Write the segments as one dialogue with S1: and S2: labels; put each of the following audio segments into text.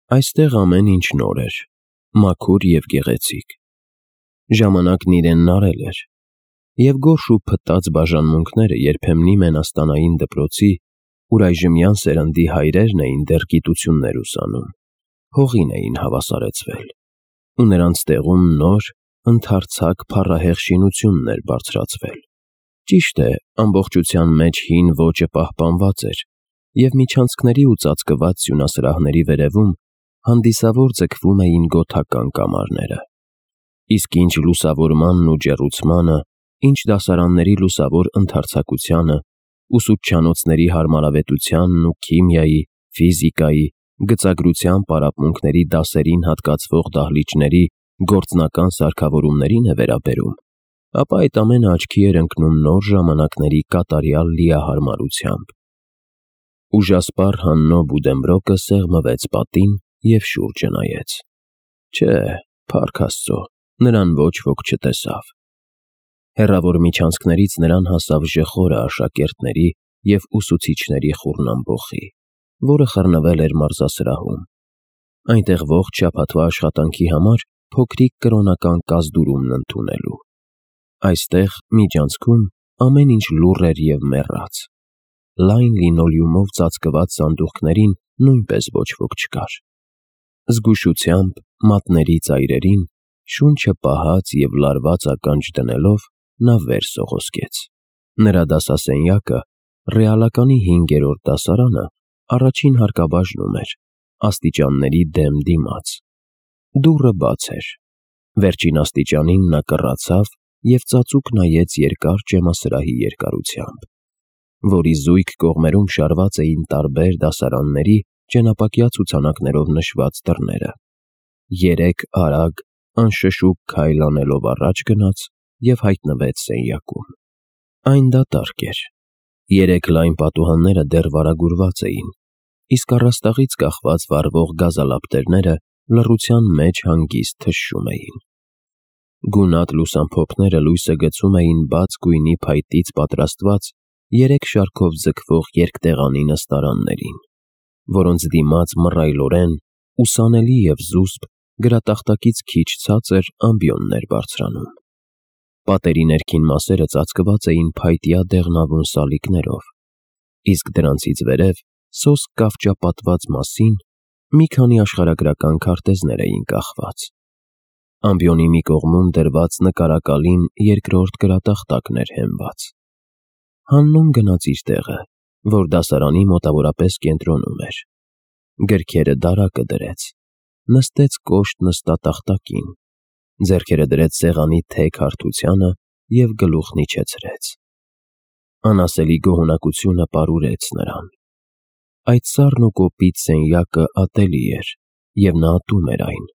S1: Այստեղ ամեն ինչ նոր էր, մաքուր և գեղեցիկ։ Ժամանակն իրենն արել էր, և գորշ ու փտած բաժանմունքները երբեմնի մենաստանային դպրոցի, ուր այժմյան սերնդի հայրերն էին դեռ գիտություններ ուսանում, հողին էին հավասարեցվել, ու նրանց տեղում նոր, ընդարձակ փառահեղ շինությունն էր բարձրացվել։ Ճիշտ է, ամբողջության մեջ հին ոճը պահպանված էր, և միջանցքների ու ծածկված սյունասրահների վերևում հանդիսավոր ձգվում էին գոթական կամարները։ Իսկ ինչ լուսավորմանն ու ջեռուցմանը, ինչ դասարանների լուսավոր ընդարձակությանը, ուսուցչանոցների հարմարավետությանն ու քիմիայի, ֆիզիկայի, գծագրության պարապմունքների դասերին հատկացվող դահլիճների գործնական սարքավորումներին է վերաբերում, ապա այդ ամենը աչքի էր ընկնում նոր ժամանակների կատարյալ լիահարմարությամբ։ Ուժասպառ Հաննո Բուդենբրոկը սեղմվեց պատին և շուրջը նայեց։ Չէ, փառք Աստծո, նրան ոչ ոք չտեսավ։ Հեռավոր միջանցքներից նրան հասավ ժխորը աշակերտների և ուսուցիչների խուռնամբոխի, որը խռնվել էր մարզասրահում։ Այնտեղ ողջ շաբաթվա աշխատանքի համար փոքրիկ կրոնական կազդուրումն ընդունելու։ Այստեղ, միջանցքում, ամեն ինչ լուռ էր և մեռած։ Լայն լինոլեումով ծածկված սանդուղքներին նույնպես ոչ ոք չկար։ Զգուշությամբ, մատների ծայրերին, շունչը պահած և լարված ականջ դնելով, նա վեր սողոսկեց։ Նրա դասասենյակը, ռեալականի 5-րդ դասարանը, առաջին հարկաբաժնում էր, աստիճանների դեմ դիմաց։ Դուռը բաց էր։ Վերջին աստիճանին նա կռացավ և ծածուկ նայեց երկար ճեմասրահի երկարությամբ, որի զույգ կողմերում շարված էին տարբեր դասարանների ճենապակյա ցուցանակներով նշված դռները։ 3 արագ, անշշուկ քայլ անելով առաջ գնաց և հայտնվեց սենյակում։ Այն դատարկ էր։ 3 լայն պատուհանները դեռ վարագուրված էին, իսկ առաստաղից կախված վառվող գազալապտերները լռության մեջ հանգիստ թշշում էին։ Գունատ լուսամփոփները լույսը գցում էին բաց գույնի փայտից պատրաստված 3 շարքով ձգվող երկտեղանի նստարաններին, որոնց դիմաց մռայլորեն, ուսանելի և զուսպ, գրատախտակից քիչ ցածր ամբիոններ բարձրանում։ Պատերի ներքին մասերը ծածկված էին փայտյա դեղնավուն սալիկներով, իսկ դրանցից վերև, սոսկ կավճապատված մասին, մի քանի աշխարհագրական քարտեզներ էին կախված։ Ամբիոնի մի կողմում դրված նկարակալին 2-րդ գրատախտակն էր հենված։ Հաննոն գնաց իր տեղը, որ դասարանի մոտավորապես կենտրոնում էր։ Գրքերը դարակը դրեց, նստեց կոշտ նստատախտակին, ձեռքերը դրեց սեղանի թեք հարթությանը և գլուխն իջեցրեց։ Անասելի գոհունակությունը պարուրեց նրան։ Այդ սառն ու կոպիտ սենյակը ատելի էր, և նա ատում էր այն։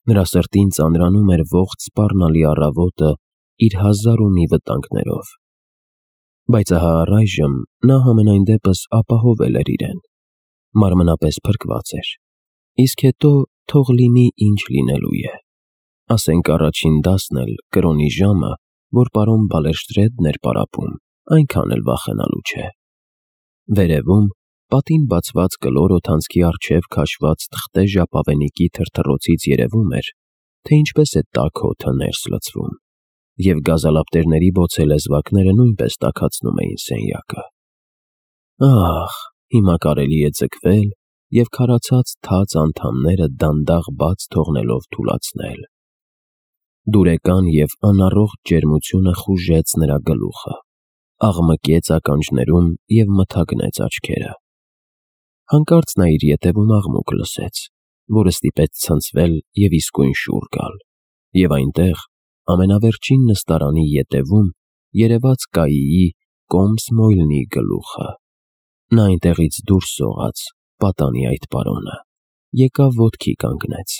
S1: Նրա սրտին ծանրանում էր ողջ սպառնալի առավոտը իր հազար ու մի վտանգներով։ Բայց ահա առայժմ նա համենայն դեպս ապահովել էր իրեն, մարմնապես փրկված էր, իսկ հետո թող լինի ինչ լինելու է։ Ասենք առաջին դասն էլ, կրոնի ժամը, որ պարոն Բալերշտրեդն էր պարապում, այնքան էլ վախենալու չէ։ Վերևում, պատին բացված կլոր օդանցքի առջև քաշված թղթե ժապավենիքի թրթռոցից երևում էր, թե ինչպես է տաք օդը ներս լցվում, և գազալապտերների բոցե լեզվակները նույնպես տաքացնում էին սենյակը։ Ահ, հիմա կարելի է ձգվել և քարացած թաց անդամները դանդաղ բաց թողնելով թուլացնել։ Դուրեկան և անառողջ ջերմությունը խուժեց նրա գլուխը, աղմկեց ականջներում և մթագնեց աչքերը։ Հանկարծ նա իր ետևում աղմուկ լսեց, որը ստիպեց ցնցվել և իսկույն շուռ գալ, և այնտեղ, ամենավերջին նստարանի ետևում, երևաց Կայիի կոմս Մոյլնի գլուխը։ Նա այնտեղից դուրս սողաց, պատանի այդ պարոնը, եկավ ոտքի կանգնեց,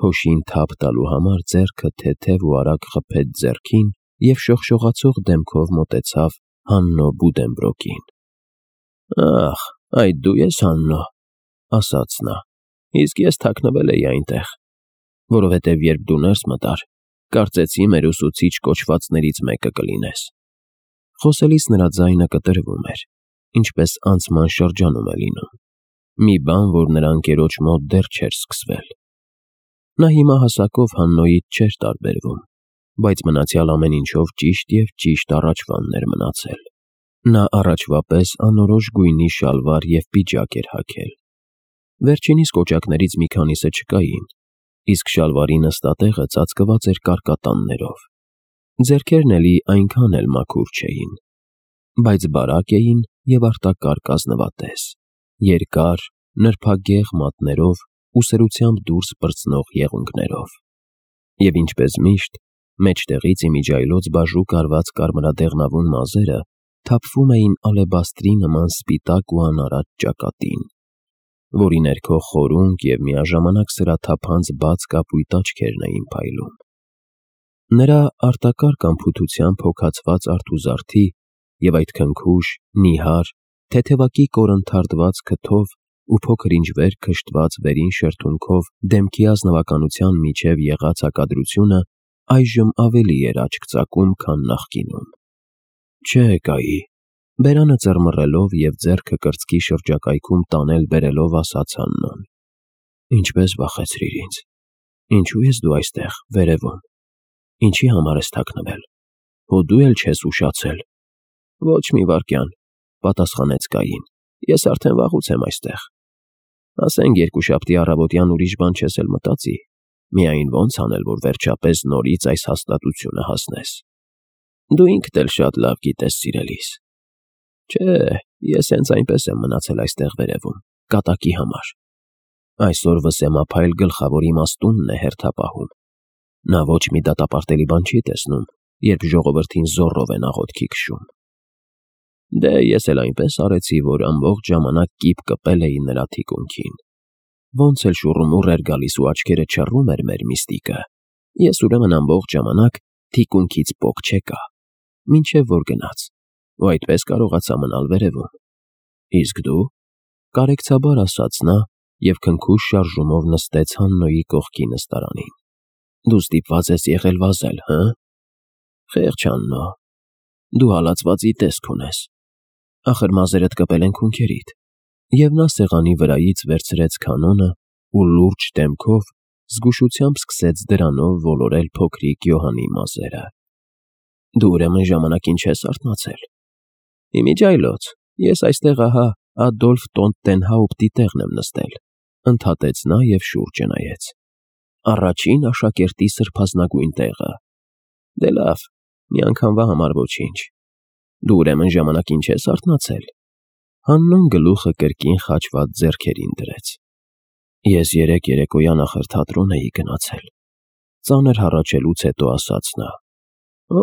S1: փոշին թափ տալու համար ձեռքը թեթև ու արագ խփեց ձեռքին և շողշողացող դեմքով մոտեցավ Հաննո Բուդենբրոկին։ «Ախ, այդ դու ես, Հաննո», ասաց նա, «իսկ ես թաքնվել էի այնտեղ, որովհետև երբ դու ներս մտար, կարծեցի մեր ուսուցիչ կոչվածներից մեկը կլինես»։ Խոսելիս նրա ձայնը կտրվում էր, ինչպես անցման շրջանում է լինում։ մի բան, որ նրա ընկերոջ մոտ դեռ չէր սկսվել։ Նա հիմա հասակով Հաննոյից չէր տարբերվում, բայց մնացյալ ամեն ինչով ճիշտ և ճիշտ առաջվանն էր մնացել։ Նա առաջվա պես անորոշ գույնի շալվար և պիջակ էր հագել։ Վերջինիս կոճակներից մի քանիսը չկային, իսկ շալվարի նստատեղը ծածկված էր կարկատաններով։ Ձեռքերն էլի այնքան էլ մաքուր չէին, բայց բարակ էին և արտակարգ ազնվատես, երկար, նրբագեղ մատներով ու սրությամբ դուրս պրծնող եղունգներով։ Եվ ինչպես միշտ, մեջտեղից իմիջիայլոց բաժուկ արված կարմրադեղնավուն մազերը թափվում էին ալեբաստրի նման սպիտակ ու անարատ ճակատին, որի ներքո խորունկ և միաժամանակ սրաթափանց բաց կապույտ աչքերն էին փայլում։ Նրա արտակարգ անփութությամբ հոգացված արթուզարդի և այդ քնքուշ, նիհար, թեթևակի կորնթարդված քթով ու փոքր-ինչ վեր քշտված վերին շրթունքով դեմքի ազնվականության միջև եղած հակադրությունը այժմ ավելի էր աչք ծակում, քան նախկինում։ Չէ, Կայի, բերանը ծռմռելով և ձեռքը կրծքի շրջակայքում տանել-բերելով ասաց Հաննոն։ Ինչպես վախեցրիր ինձ։ Ինչու ես դու այստեղ, վերևում։ Ինչի համար ես թաքնվել։ Հո դու էլ չես ուշացել։ Ոչ մի վայրկյան, պատասխանեց Կային։ Ես արդեն վաղուց եմ այստեղ։ Ասենք երկուշաբթի առավոտյան ուրիշ բան չես էլ մտածի։ Միայն ոնց անել, որ վերջապես նորից այս հաստատությունը հասնես։ Դու ինքդ էլ շատ լավ գիտես, սիրելիս։ Չէ, ես հենց այնպես եմ մնացել այստեղ վերևում, կատակի համար։ Այսօր վսեմափայլ գլխավոր իմաստունն է հերթապահում։ Նա ոչ մի դատապարտելի բան չի տեսնում, երբ ժողովրդին զոռով են աղոթքի քշում։ Դե ես էլ այնպես արեցի, որ ամբողջ ժամանակ կիպ կպել էի նրա թիկունքին։ Ոնց էլ շուռումուռ էր գալիս ու աչքերը չռում էր մեր միստիկը, ես ուրեմն ամբողջ ժամանակ թիկունքից պոկ չեկա, մինչև որ գնաց, ու այդպես կարողացա մնալ վերևում։ Իսկ դու, կարեկցաբար ասաց նա և քնքուշ շարժումով նստեց Հաննոյի կողքի նստարանին։ Դու ստիպված ես եղել վազել, հը՞։ Խեղճ Հաննո, դու հալածվածի տեսք ունես։ Ախր մազերդ կպել են քունքերիդ։ Եվ նա սեղանի վրայից վերցրեց կանոնը ու լուրջ դեմքով զգուշությամբ սկսեց դրանով ոլորել փոքրիկ Յոհանի մազերը։ Դու ուրեմն ժամանակին չես արթնացել։ Իմիջիայլոց, ես այստեղ ահա Ադոլֆ Տոնտենհաուպտի տեղն եմ նստել, ընդհատեց նա և շուրջը նայեց։ Առաջին աշակերտի սրբազնագույն տեղը։ Դե լավ, մի անգամվա համար ոչինչ։ Դու ուրեմն ժամանակին չես արթնացել։ Հաննոն գլուխը կրկին խաչված ձեռքերին դրեց։ Ես երեկոյան ախր թատրոն էի գնացել։ Ծանր հառաչելուց հետո ասաց նա։ Օ,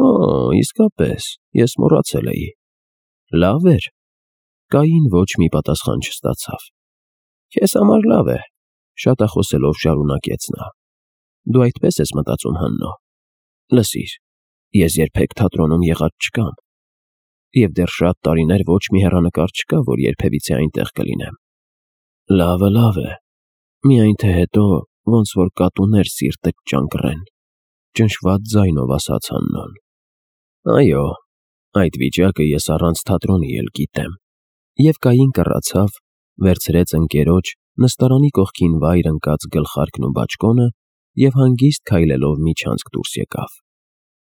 S1: իսկապես, ես մոռացել էի։ Լավ էր։ Կային ոչ մի պատասխան չստացավ։ Քեզ համար լավ է, շատախոսելով շարունակեց նա։ Դու այդպես ես մտածում, Հաննո։ Լսիր, ես երբեք թատրոնում եղած չկամ։ Եվ դեռ շատ տարիներ ոչ մի հեռանկար չկա, որ երբևիցե այնտեղ կլինեմ։ Լավը լավ է։ Միայն թե հետո ոնց որ կատուներ սիրտը կճանկռեն, ճնշված ձայնով ասաց Հաննոն։ Այո, այդ վիճակը ես առանց թատրոնի էլ գիտեմ։ Եվ Կային կռացավ, վերցրեց ընկերոջ նստարանի կողքին վայր ընկած գլխարկն ու բաճկոնը և հանգիստ քայլելով միջանցք դուրս եկավ։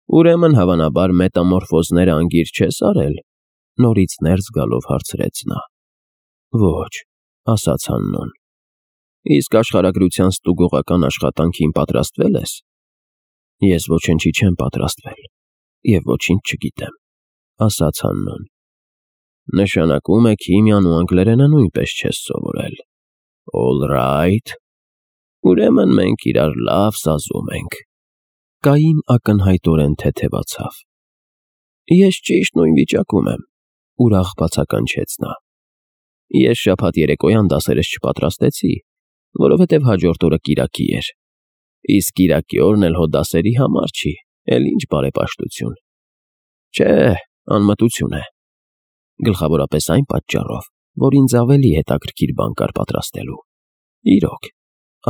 S1: Ուրեմն հավանաբար մետամորֆոզները անգիր չես արել, նորից ներս գալով հարցրեց նա։ Ոչ, ասաց Հաննոն։ Իսկ աշխարհագրության ստուգողական աշխատանքին պատրաստվել ես։ Ես ոչնչի չեմ պատրաստվել և ոչինչ չգիտեմ, ասաց Հաննոն։ Նշանակում է քիմիան ու անգլերենը նույնպես չես սովորել։ All right։ Ուրեմն մենք իրար լավ սազում ենք։ Կային ակնհայտորեն թեթևացավ։ Ես ճիշտ նույն վիճակում եմ, ուրախ բացականչեց նա։ Ես շաբաթ երեկոյան դասերս չպատրաստեցի, որովհետև հաջորդ օրը կիրակի էր։ Իսկ կիրակի օրն էլ հո դասերի համար չի, էլ ինչ բարեպաշտություն։ Չէ, անմտություն է։ Գլխավորապես այն պատճառով, որ ինձ ավելի հետաքրքիր բան կար պատրաստելու։ Իրոք,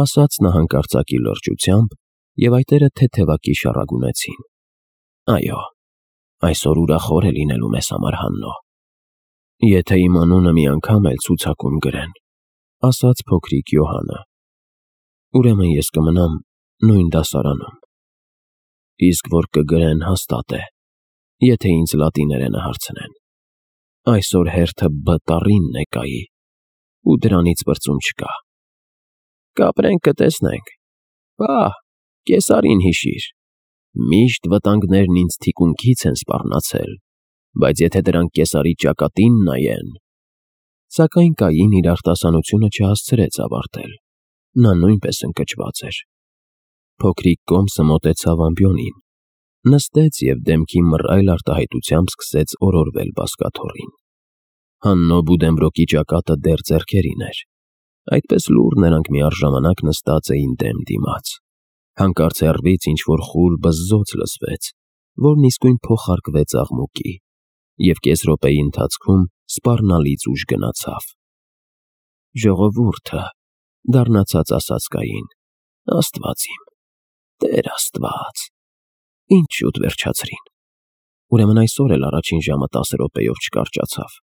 S1: ասաց նա հանկարծակի լրջությամբ, և այտերը թեթևակի շառագունեցին։ Այո, այսօր ուրախ օր է լինելու մեզ համար, Հաննո։ Եթե իմ անունը մի անգամ էլ ցուցակում գրեն, ասաց փոքրիկ Յոհանը։ Ուրեմն ես կմնամ նույն դասարանում։ Իսկ որ կգրեն հաստատ է, եթե ինձ լատիներենը հարցնեն։ Այսօր հերթը B տառինն է կայի, ու դրանից բրծում չկա։ Կապրենք կտեսնենք։ Պահ, կեսարին հիշիր։ Միշտ վտանգներն ինձ թիկունքից են սպառնացել, բայց եթե դրանք կեսարի ճակատին նայեն… Սակայն Կային իր արտասանությունը չհասցրեց ավարտել։ Նա նույնպես ընկճված էր։ Փոքրիկ կոմսը մոտեցավ ամբիոնին, նստեց և դեմքի մռայլ արտահայտությամբ սկսեց օրորվել բազկաթոռին։ Հաննո Բուդենբրոկի ճակատը դեռ ձեռքերին էր։ Այդպես լուռ նրանք միառժամանակ նստած էին դեմ դիմաց։ Հանկարծ հեռվից ինչ-որ խուլ բզզոց լսվեց, որն իսկույն փոխարկվեց աղմուկի, և կես րոպեի ընթացքում սպառնալից ուժ գնացավ։ Ժողովուրդը, դառնացած ասաց Կային, Աստված իմ, Տեր Աստված, ինչ շուտ վերջացրին։ Ուրեմն այսօր էլ առաջին ժամը 10 րոպեով չկարճացավ։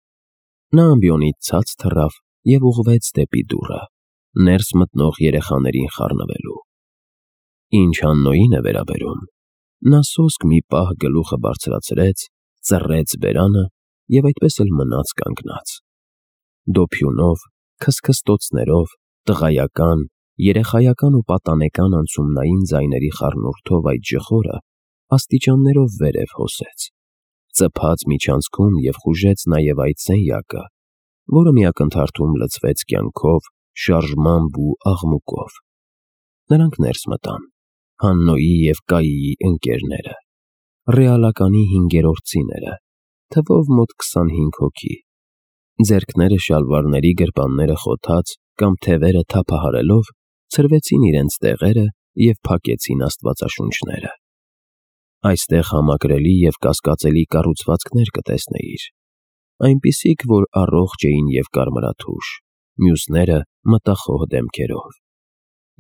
S1: Նա ամբիոնից ցած թռավ և ուղղվեց դեպի դուռը, ներս մտնող երեխաներին խառնվելու։ Ինչ Հաննոյին է վերաբերում, նա սոսկ մի պահ գլուխը բարձրացրեց, ծռեց բերանը և այդպես էլ մնաց կանգնած։ Դոփյունով, քսքստոցներով, տղայական, երեխայական ու պատանեկան անցումնային ձայների խառնուրդով այդ ժխորը աստիճաններով վերև հոսեց, ծփաց միջանցքում և խուժեց նաև այդ սենյակը, որը մի ակնթարթում լցվեց կյանքով, շարժմամբ ու աղմուկով։ Նրանք ներս մտան, Հաննոյի և Կայիի ընկերները, ռեալականի հինգերորդցիները, թվով մոտ 25 հոգի։ Ձեռքները շալվարների գրպանները խոթած կամ թևերը թափահարելով, ցրվեցին իրենց տեղերը և փակեցին աստվածաշունչները։ Այստեղ համակրելի և կասկածելի կառուցվածքներ կտեսնեիր, այնպիսիք, որ առողջ էին և կարմրաթուշ, մյուսները մտախոհ դեմքերով։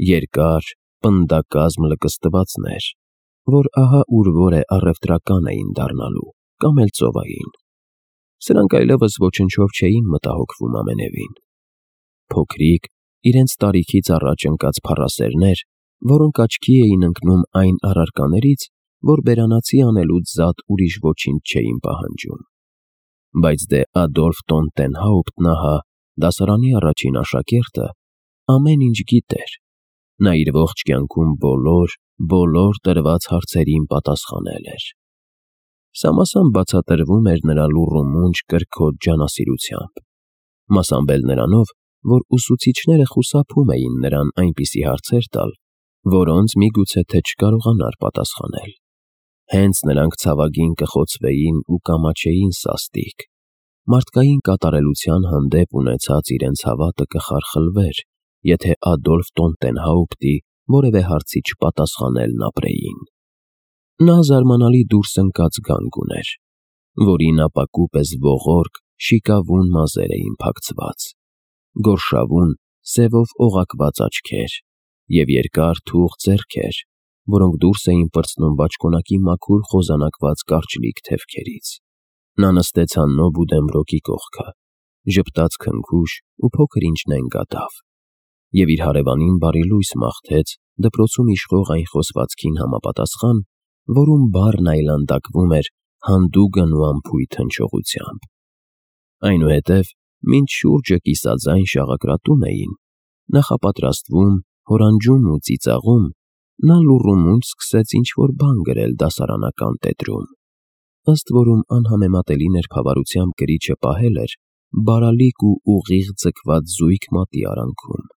S1: Երկար, պնդակազմ լկստվածներ, որ ահա ուր որ է առևտրական էին դառնալու կամ էլ ծովային։ Սրանք այլևս ոչնչով չէին մտահոգվում ամենևին։ Փոքրիկ, իրենց տարիքից առաջ ընկած փառասերներ, որոնք աչքի էին ընկնում այն առարկաներից, որ բերանացի անելուց զատ ուրիշ ոչինչ չէին պահանջում։ Բայց դե Ադոլֆ Տոնտենհաուպտն ահա, դասարանի առաջին աշակերտը, ամեն ինչ գիտեր։ Նա իր ողջ կյանքում բոլոր տրված հարցերին պատասխանել էր։ Սամասամբ բացատրվում էր նրա լուռումունջ կրքոտ ջանասիրությամբ, մասամբ էլ նրանով, որ ուսուցիչները խուսափում էին նրան այնպիսի հարցեր տալ, որոնց միգուցե թե չկարողանար պատասխանել։ Հենց նրանք ցավագին կխոցվեին ու կամաչեին սաստիկ։ Մարդկային կատարելության հանդեպ ունեցած իրենց հավատը կխարխլվեր, եթե Ադոլֆ Տոնտենհաուպտի որևէ հարցի չպատասխանելն ապրեին։ Նա զարմանալի դուրս ընկած գանգ ուներ, որին ապակու պես ողորկ, շիկավուն մազեր էին փակցված, գորշավուն, սևով օղակված աչքեր և երկար թուխ ձեռքեր, որոնք դուրս էին պրծնում բաճկոնակի մաքուր խոզանակված կարճլիկ թևքերից։ Նա նստեց Հաննո Բուդենբրոկի կողքը, ժպտաց քնքուշ ու փոքր ինչ նենգատավ, և իր հարևանին բարի լույս մաղթեց դպրոցում իշխող այն խոսվածքին համապատասխան, որում բառն այլանդակվում էր հանդուգն ու անփույթ հնչողությամբ։ Այնուհետև, մինչ շուրջը կիսաձայն շաղակրատում էին, նախապատրաստվում, հորանջում ու ծիծաղում, նա լուռումունջ սկսեց ինչ-որ բան գրել դասարանական տետրում, ըստ որում անհամեմատելի ներբավարությամբ գրիչը պահել էր բարալիկ ու ուղիղ ձգված զույգ մատի արանքում։